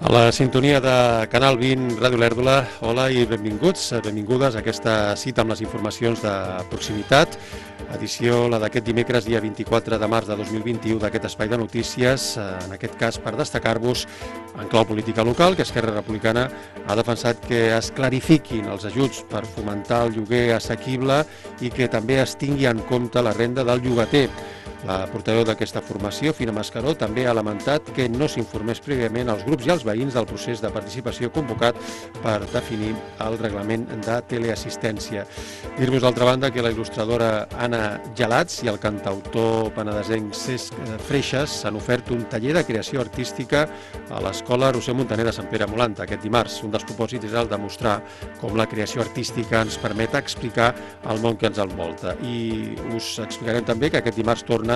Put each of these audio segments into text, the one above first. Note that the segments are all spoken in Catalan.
A la sintonia de Canal 20, Ràdio Olèrdola, hola i benvinguts, benvingudes a aquesta cita amb les informacions de proximitat, edició la d'aquest dimecres, dia 24 de març de 2021, d'aquest espai de notícies, en aquest cas per destacar-vos en clau política local, que Esquerra Republicana ha defensat que es clarifiquin els ajuts per fomentar el lloguer assequible i que també es tingui en compte la renda del llogater. La portaveu d'aquesta formació, Fina Mascaró, també ha lamentat que no s'informés prèviament als grups i als veïns del procés de participació convocat per definir el reglament de teleassistència. Dir-vos, d'altra banda, que la il·lustradora Anna Gelats i el cantautor penedesenc Cesc Freixas s'han ofert un taller de creació artística a l'Escola Roser Montaner de Sant Pere Molanta aquest dimarts. Un dels propòsits és el de mostrar com la creació artística ens permet explicar el món que ens envolta. I us explicarem també que aquest dimarts torna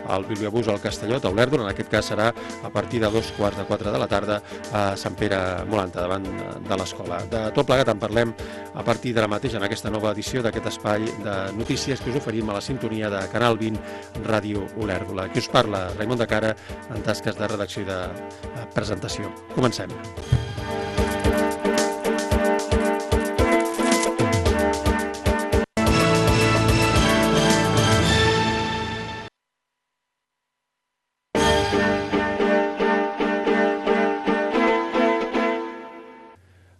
al Bibliobús al Castellot, a Olèrdola. En aquest cas serà a partir de 3:15 de la tarda a Sant Pere Molanta, davant de l'escola. De tot plegat en parlem a partir de la mateixa en aquesta nova edició d'aquest espai de notícies que us oferim a la sintonia de Canal 20 Ràdio Olèrdola. Qui us parla, Raimon de Cara, en tasques de redacció i de presentació. Comencem.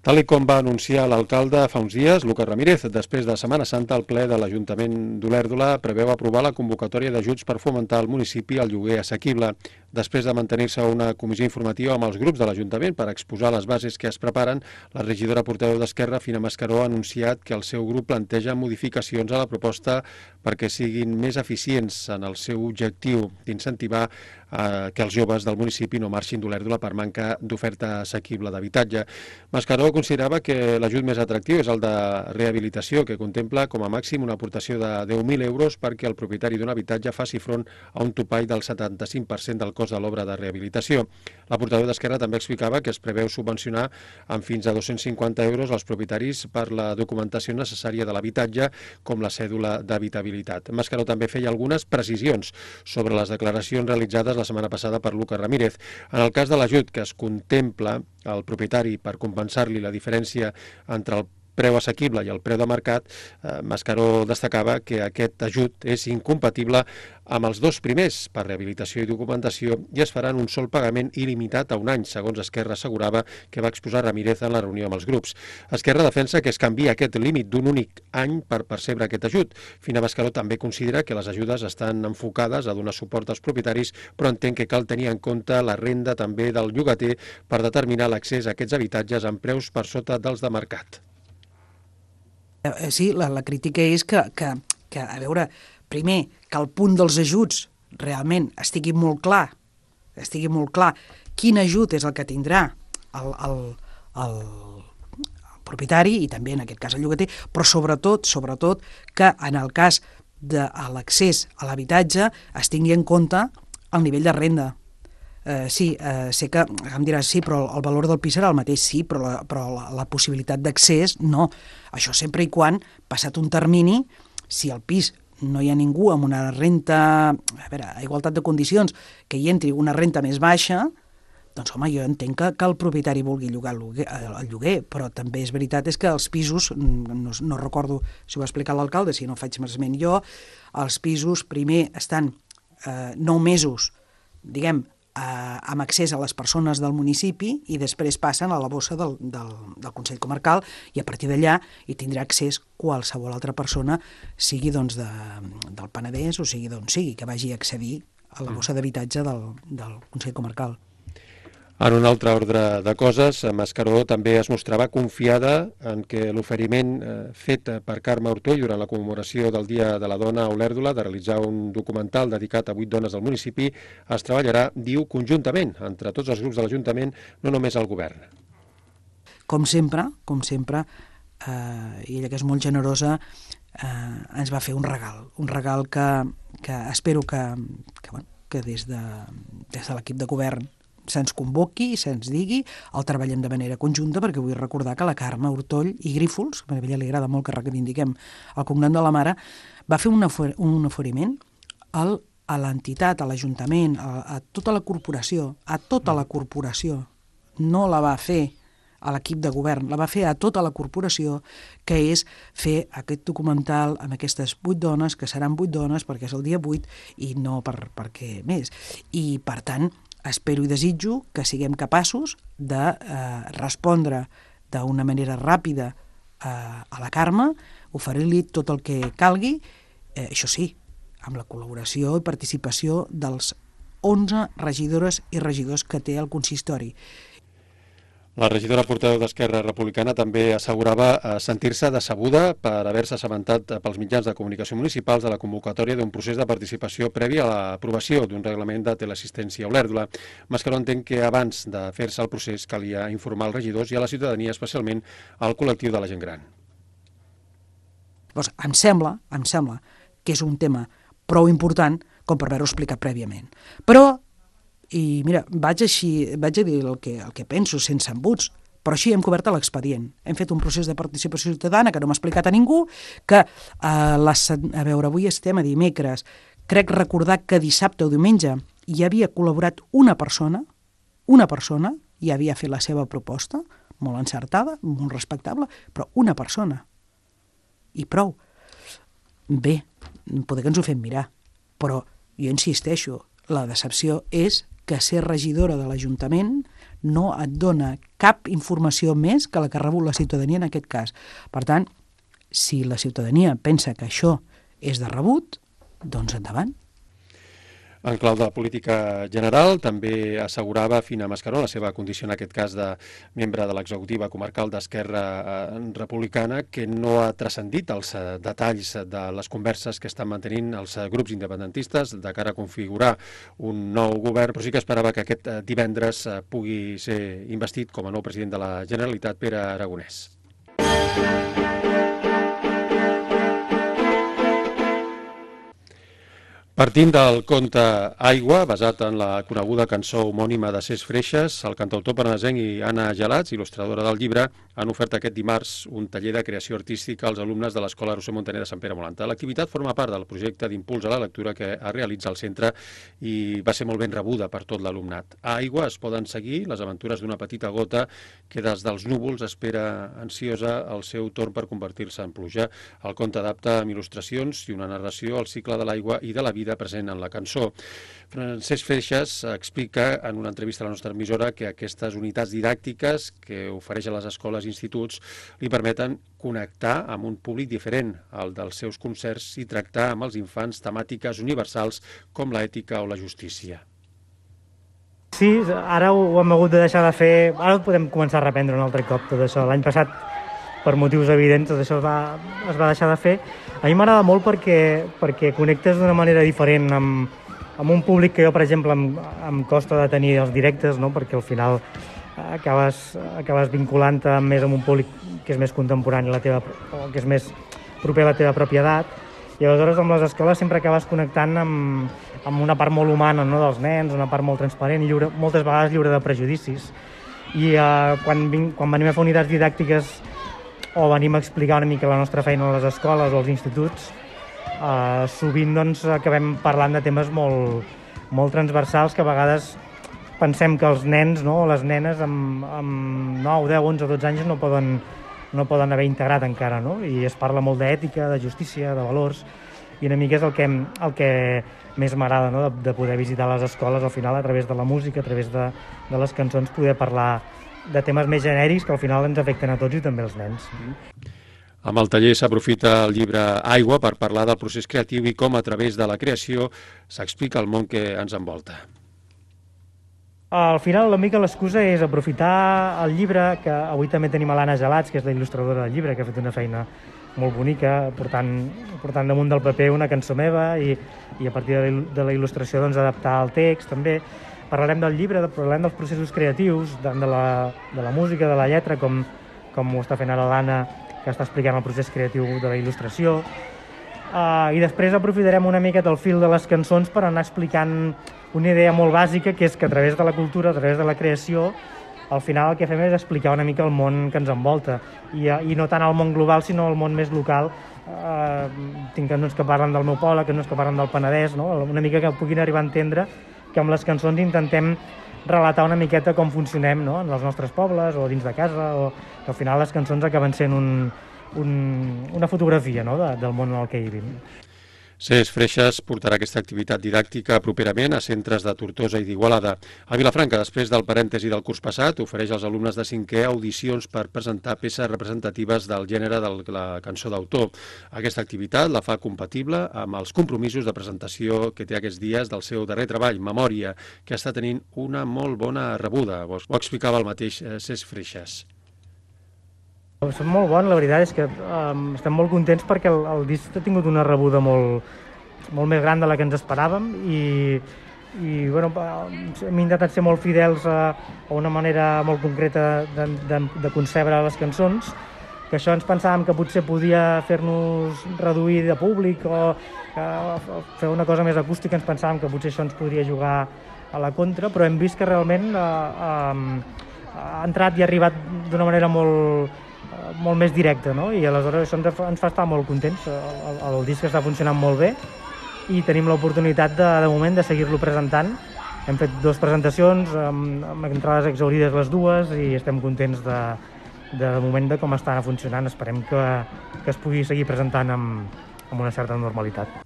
Tal com va anunciar l'alcalde fa uns dies, Lucas Ramírez, després de Setmana Santa, el ple de l'Ajuntament d'Olèrdola preveu aprovar la convocatòria d'ajuts per fomentar al municipi el lloguer assequible. Després de mantenir-se una comissió informativa amb els grups de l'Ajuntament per exposar les bases que es preparen, la regidora portaveu d'Esquerra, Fina Mascaró, ha anunciat que el seu grup planteja modificacions a la proposta perquè siguin més eficients en el seu objectiu d'incentivar que els joves del municipi no marxin d'Olèrdola per manca d'oferta assequible d'habitatge. Mascaró considerava que l'ajut més atractiu és el de rehabilitació, que contempla com a màxim una aportació de 10.000 euros perquè el propietari d'un habitatge faci front a un topall del 75% del cost de l'obra de rehabilitació. La portaveu d'Esquerra també explicava que es preveu subvencionar amb fins a 250 euros als propietaris per la documentació necessària de l'habitatge, com la cèdula d'habitabilitat. Mascaró també feia algunes precisions sobre les declaracions realitzades la setmana passada per Lucas Ramírez. En el cas de l'ajut que es contempla al propietari per compensar-li la diferència entre el preu assequible i el preu de mercat, Mascaró destacava que aquest ajut és incompatible amb els dos primers, per rehabilitació i documentació, i es farà en un sol pagament il·limitat a un any, segons Esquerra assegurava que va exposar Ramírez en la reunió amb els grups. Esquerra defensa que es canvia aquest límit d'un únic any per percebre aquest ajut. Fina Mascaró també considera que les ajudes estan enfocades a donar suport als propietaris, però entén que cal tenir en compte la renda també del llogater per determinar l'accés a aquests habitatges amb preus per sota dels de mercat. Sí, la crítica és que, a veure, primer, que el punt dels ajuts realment estigui molt clar quin ajut és el que tindrà el propietari i també en aquest cas el llogater, però sobretot que en el cas de l'accés a l'habitatge es tingui en compte el nivell de renda. Sí, sé que em diràs, sí, però el valor del pis serà el mateix, sí, però la possibilitat d'accés no. Això sempre i quan, passat un termini, si al pis no hi ha ningú amb una renta, a igualtat de condicions, que hi entri una renta més baixa, doncs home, jo entenc que el propietari vulgui llogar el lloguer, però també és veritat és que els pisos, no recordo si ho va explicar l'alcalde, si no faig esment jo, els pisos primer estan 9 mesos, diguem, amb accés a les persones del municipi i després passen a la bossa del Consell Comarcal i a partir d'allà hi tindrà accés qualsevol altra persona, sigui doncs del Penedès o sigui d'on sigui, que vagi a accedir a la bossa d'habitatge del Consell Comarcal. En un altre ordre de coses, Mascaró també es mostrava confiada en que l'oferiment fet per Carme Ortoll durant la commemoració del Dia de la Dona a Olèrdola de realitzar un documental dedicat a 8 dones del municipi es treballarà, diu, conjuntament entre tots els grups de l'Ajuntament, no només el govern. Com sempre, i ella que és molt generosa, ens va fer un regal que espero que des de l'equip de govern se'ns convoqui, se'ns digui, el treballem de manera conjunta, perquè vull recordar que la Carme Ortoll i Grífols, a ella li agrada molt que reivindiquem el cognom de la mare, va fer un oferiment a l'entitat, a l'Ajuntament, a tota la corporació, no la va fer a l'equip de govern, la va fer a tota la corporació, que és fer aquest documental amb aquestes 8 dones, que seran 8 dones perquè és el dia 8 i no perquè més. I, per tant, espero i desitjo que siguem capaços de respondre d'una manera ràpida a la Carme, oferir-li tot el que calgui, això sí, amb la col·laboració i participació dels 11 regidores i regidors que té el consistori. La regidora portaveu d'Esquerra Republicana també assegurava sentir-se decebuda per haver-se assabentat pels mitjans de comunicació municipals de la convocatòria d'un procés de participació previ a l'aprovació d'un reglament de teleassistència a Olèrdola. Mascaró entén que abans de fer-se el procés calia informar als regidors i a la ciutadania, especialment al col·lectiu de la gent gran. Llavors, em sembla que és un tema prou important com per haver-ho explicat prèviament. Però, i mira, vaig a dir el que penso sense embuts, però així hem cobert l'expedient. Hem fet un procés de participació ciutadana que no m'ha explicat a ningú, que a veure, avui estem a dimecres, crec recordar que dissabte o diumenge hi havia col·laborat una persona i havia fet la seva proposta, molt encertada, molt respectable, però una persona. I prou. Bé, poder que ens ho fem mirar, però jo insisteixo, la decepció és que ser regidora de l'Ajuntament no et dona cap informació més que la que ha rebut la ciutadania en aquest cas. Per tant, si la ciutadania pensa que això és de rebut, doncs endavant. En clau de política general, també assegurava Fina Mascaró, en la seva condició en aquest cas de membre de l'executiva comarcal d'Esquerra Republicana, que no ha transcendit els detalls de les converses que estan mantenint els grups independentistes de cara a configurar un nou govern, però sí que esperava que aquest divendres pugui ser investit com a nou president de la Generalitat, Pere Aragonès. Partint del conte Aigua, basat en la coneguda cançó homònima de Cés Freixas, el cantautor parnasenc i Anna Gelats, il·lustradora del llibre, han ofert aquest dimarts un taller de creació artística als alumnes de l'Escola Roser Montaner de Sant Pere Molanta. L'activitat forma part del projecte d'impuls a la lectura que es realitza al centre i va ser molt ben rebuda per tot l'alumnat. A Aigua es poden seguir les aventures d'una petita gota que des dels núvols espera ansiosa el seu torn per convertir-se en pluja. El conte adapta amb il·lustracions i una narració al cicle de l'aigua i de la vida present en la cançó. Cés Freixas explica en una entrevista a la nostra emissora que aquestes unitats didàctiques que ofereix a les escoles i instituts li permeten connectar amb un públic diferent al dels seus concerts i tractar amb els infants temàtiques universals com l'ètica o la justícia. Sí, ara ho hem hagut de deixar de fer, ara ho podem començar a reprendre un altre cop tot això. L'any passat, per motius evidents, tot això es va deixar de fer. A mi m'agrada molt perquè connectes d'una manera diferent amb un públic que jo, per exemple, em costa de tenir els directes, no? Perquè al final acabes vinculant-te més amb un públic que és més contemporani o que és més proper a la teva pròpia edat. I aleshores amb les escoles sempre acabes connectant amb una part molt humana, no? Dels nens, una part molt transparent, moltes vegades lliure de prejudicis. I quan venim a fer unitats didàctiques o venim a explicar una mica la nostra feina a les escoles o als instituts, sovint doncs, acabem parlant de temes molt transversals que a vegades pensem que els nens, no, o les nenes amb 9, 10, 11, 12 anys no poden haver integrat encara, no? I es parla molt d'ètica, de justícia, de valors, i una mica és el que més m'agrada, no? De poder visitar les escoles al final a través de la música, a través de les cançons, poder parlar de temes més genèrics que al final ens afecten a tots i també als nens. Amb el taller s'aprofita el llibre Aigua per parlar del procés creatiu i com a través de la creació s'explica el món que ens envolta. Al final, una mica l'excusa és aprofitar el llibre, que avui també tenim a l'Anna Gelats, que és la il·lustradora del llibre, que ha fet una feina molt bonica, portant damunt del paper una cançó meva i a partir de la il·lustració doncs, adaptar el text també. Parlarem del llibre, parlarem dels processos creatius, tant de la música, de la lletra, com ho està fent ara l'Anna, que està explicant el procés creatiu de la il·lustració. I després aprofitarem una mica del fil de les cançons per anar explicant una idea molt bàsica, que és que a través de la cultura, a través de la creació, al final el que fem és explicar una mica el món que ens envolta. I no tant el món global, sinó el món més local. Tinc cançons que parlen del meu poble, cançons que parlen del Penedès, no? Una mica que puguin arribar a entendre que amb les cançons intentem relatar una miqueta com funcionem, no?, en els nostres pobles o dins de casa, o que al final les cançons acaben sent una fotografia, no?, del món en el que vivim. CES Freixes portarà aquesta activitat didàctica properament a centres de Tortosa i d'Igualada. A Vilafranca, després del parèntesi del curs passat, ofereix als alumnes de 5è audicions per presentar peces representatives del gènere de la cançó d'autor. Aquesta activitat la fa compatible amb els compromisos de presentació que té aquests dies del seu darrer treball, Memòria, que està tenint una molt bona rebuda. Ho explicava el mateix CES Freixes. Són molt bons, la veritat és que estem molt contents perquè el disc ha tingut una rebuda molt més gran de la que ens esperàvem i bueno, hem intentat ser molt fidels a una manera molt concreta de concebre les cançons, que això ens pensàvem que potser podia fer-nos reduir de públic o fer una cosa més acústica, ens pensàvem que potser això ens podria jugar a la contra, però hem vist que realment ha entrat i ha arribat d'una manera molt més directe, no? I aleshores això ens fa estar molt contents. El disc està funcionant molt bé i tenim l'oportunitat de moment de seguir-lo presentant. Hem fet 2 presentacions, amb entrades exaurides les dues, i estem contents de moment de com està funcionant. Esperem que es pugui seguir presentant amb una certa normalitat.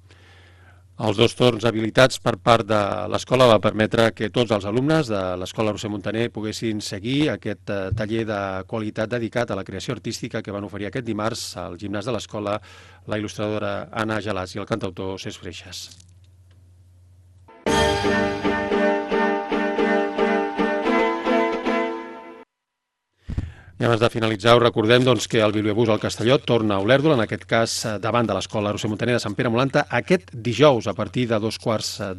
Els 2 torns habilitats per part de l'escola va permetre que tots els alumnes de l'Escola Roser Muntaner poguessin seguir aquest taller de qualitat dedicat a la creació artística que van oferir aquest dimarts al gimnàs de l'escola la il·lustradora Anna Gelàs i el cantautor CES Freixes. I abans de finalitzar, us recordem que el Bibliobús al Castelló torna a Olèrdola, en aquest cas davant de l'Escola Roser Muntaner de Sant Pere Molanta, aquest dijous a partir de 2:45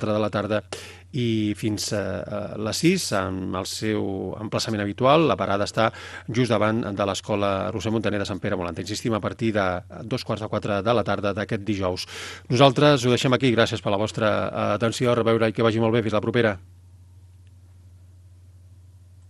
de la tarda i fins a les 6, amb el seu emplaçament habitual. La parada està just davant de l'Escola Roser Muntaner de Sant Pere Molanta. Insistim, a partir de 2:45 de la tarda d'aquest dijous. Nosaltres ho deixem aquí. Gràcies per la vostra atenció. A reveure i que vagi molt bé. Fins la propera.